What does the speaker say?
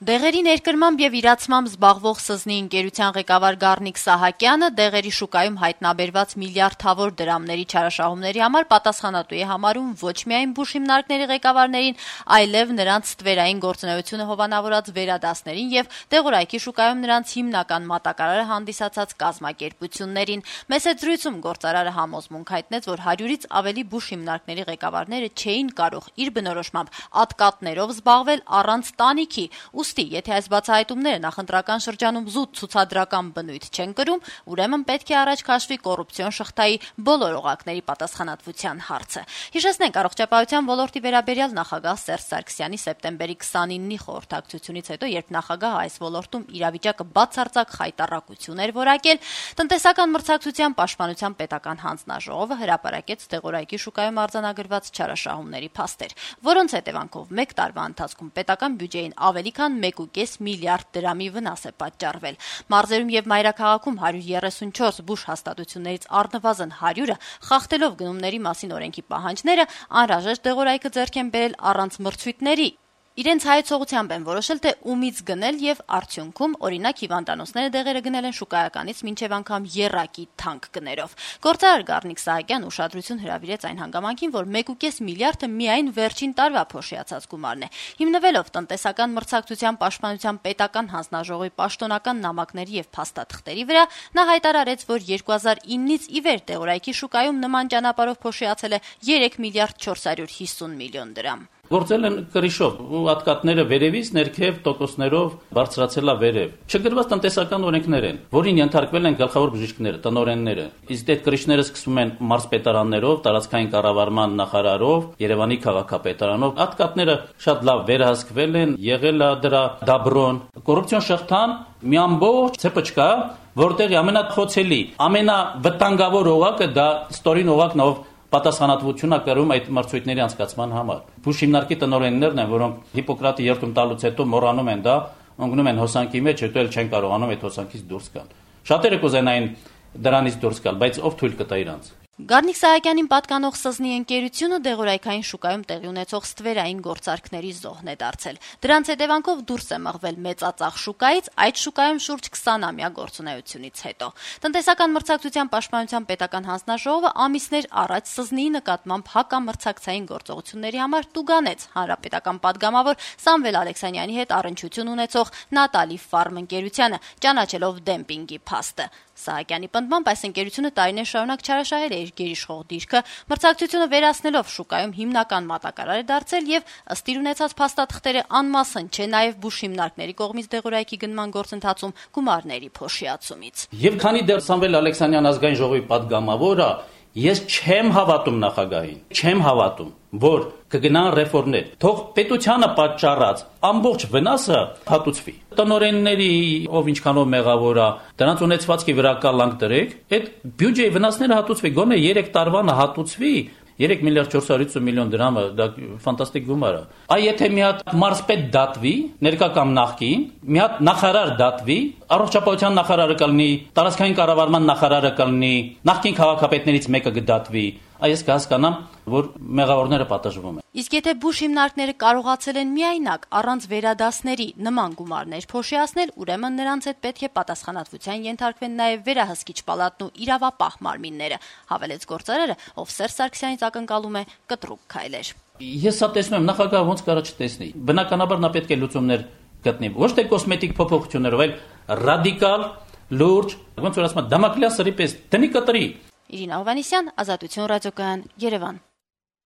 Դեղերի ներկրմամբ եւ իրացմամբ զբաղվող ՍԶՆ-ի ընկերության ղեկավար Գառնիկ Սահակյանը դեղերի շուկայում հայտնաբերված միլիարդավոր դրամների չարաշահումների համար պատասխանատու է համարում ոչ միայն բուժ հիմնարկների ղեկավարներին, այլև նրանց ստվերային գործունեությունը հովանավորած վերադասներին եւ դեղորայքի շուկայում նրանց հիմնական մատակարարը հանդիսացած կազմակերպություններին։ Մեծ զրույցում գործարարը համոզմունք հայտնեց, որ 100-ից ավելի բուժ հիմնարկների ղեկավարները չէին կարող իր բնորոշմամբ ատկատներով զբաղվել առանց տանիքի։ Ուստի, եթե այս բացահայտումները նախընտրական շրջանում զուտ ցուցադրական բնույթ չեն կրում, ուրեմն պետք է առաջ քաշվի կոռուպցիոն շղթայի բոլոր օղակների պատասխանատվության հարցը։ Հիշեցնենք, առողջապահության ոլորտի վերաբերյալ նախագահ Սերժ Սարգսյանի սեպտեմբերի 29-ի խորհրդակցությունից հետո, երբ նախագահը այս ոլորտում իրավիճակը բացարձակ խայտառակություն էր որակել, տնտեսական մրցակցության պաշտպանության պետական հանձնաժողովը հրապարակեց դեղորայքի շուկայում արձանագրված չարաշահումների փաստեր, որոնց հետևանքով մեկ տարվա ընթացքում պետական բյուջեին ավելի քան 1.5 միլիարդ դրամի վնաս է պատճառվել։ Մարզերում եւ մայրաքաղաքում 134 բուժ հաստատություններից առնվազն 100-ը խախտելով գնումների մասին օրենքի պահանջները անհրաժեշտ դեղորայքը ձեռք են բերել առանց մրցույթների։ Իրենց հայեցողությամբ են որոշել, թե ումից գնել եւ արդյունքում, օրինակ, հիվանդանոցները դեղերը գնել են շուկայականից մինչեւ անգամ եռակի թանկ գներով։ Գործարար Գառնիկ Սահակյանը ուշադրություն հրավիրեց այն հանգամանքին, որ 1.5 միլիարդը միայն վերջին տարվա փոշիացած գումարն է։ Հիմնվելով տնտեսական մրցակցության պաշտպանության պետական հանձնաժողովի պաշտոնական նամակների եւ փաստաթղթերի վրա, նա հայտարարեց, որ 2009-ից ի վեր դեղորայքի շուկայում նման ճանապարհով փոշիացել է 3 միլիարդ 450 միլիոն դրամ։ Գործել են կրիշով, ատկատները վերևից ներքև տոկոսներով բարձրացել է վերև։ Չգրված տնտեսական օրենքներ են, որին ենթարկվել են գլխավոր բժիշկները, տնօրենները։ Իսկ այդ կրիշները սկսվում են մարզպետարաններով, տարածքային կառավարման նախարարով, Երևանի քաղաքապետարանով։ Ատկատները շատ լավ վերահսկվել են, եղել է դրա դաբրոն։ Կոռուպցիոն շղթան մի ամբողջ ցեպոչկա, որտեղի ամենախոցելի, ամենավտանգավոր օղակը դա ստորին օղակն ով պատասխանատվություն է կրում այդ մրցույթների անցկացման համար։ Բուժ հիմնարկի տնօրեններն են, որոնք Հիպոկրատի երդում տալուց հետո մոռանում են դա, ընկնում են հոսանքի մեջ, հետո էլ չեն կարողանում այդ հոսանքից դուրս գալ։ Շատերը կուզենային դրանից դուրս գալ, բայց ով թույլ կտա իրանց։ Գառնիկ Սահակյանին պատկանող ՍԶՆ-ի ընկերությունը դեղորայքային շուկայում տեղի ունեցող ստվերային գործարքների զոհն է դարձել։ Դրանց հետևանքով դուրս է մղվել մեծածախ շուկայից, այդ շուկայում շուրջ 20-ամյա գործունեությունից հետո։ Տնտեսական մրցակցության պաշտպանության պետական հանձնաժողովը ամիսներ առաջ ՍԶՆ-ի նկատմամբ հակամրցակցային գործողությունների համար տուգանեց հանրապետական падգամավոր Սամվել Ալեքսանյանի հետ առնչություն ունեցող Նատալի Ֆարմ ընկերությանը, ճանաչելով դեմպինգի փաստը։ Սահակյանի պնդմամբ այս ընկերությունը տարիներ շարունակ չարաշահել է իր գերիշխող դիրքը, մրցակցությունը վերացնելով շուկայում հիմնական մատակարար է դարձել եւ ըստ իր ունեցած փաստաթղթերը անմասն չէ նաեւ բուժ հիմնարկների կողմից դեղորայքի գնման գործընթացում գումարների փոշիացումից։ Եվ քանի դեռ Սամվել Ալեքսանյան ազգային ժողովի падգամավորը, ես չեմ հավատում նախագահին, չեմ հավատում, որ կգնան ռեֆորմներ, թող պետությանը պատճառած ամբողջ վնասը հատուցվի։ Տնօրենների ով ինչքանով մեղավոր է, դրանց ունեցվածքի վրա կալանք դրեք, այդ բյուջեի վնասները հատուցվի, գոնե 3 տարվանը հատուցվի 3 միլիարդ 450 միլիոն դրամը, դա ֆանտաստիկ գումար է։ Այ եթե մի հատ մարզպետ դատվի, ներկա կամ նախկին, մի հատ նախարար դատվի, առողջապահության նախարարը կլինի, տարածքային կառավարման նախարարը կլինի, նախկին քաղաքապետներից մեկը կդատվի, այս կհասկանամ, որ մեղավորները պատժվում են։ Իսկ եթե բուժ հիմնարկները կարողացել են միայնակ առանց վերադասների նման գումարներ փոշիացնել, ուրեմն նրանց հետ պետք է պատասխանատվության ենթարկվեն նաև վերահսկիչ պալատն ու իրավապահ մարմինները, հավելեց գործարարը, ով Սերժ Սարգսյանից ակնկալում է կտրուկ քայլեր։ Ես սա տեսնում եմ, նախագահը ոնց կարա չտեսնի։ Բնականաբար նա պետք է լուծումներ գտնի, ոչ թե կոսմետիկ փոփոխություններով, այլ ռադիկալ, լուրջ, ոնց որ ասում են, դամակլյան սրի պես դնի կտրի։ Իրինա Հովհաննիսյան, Ազատություն ռադիոկայան, Երևան։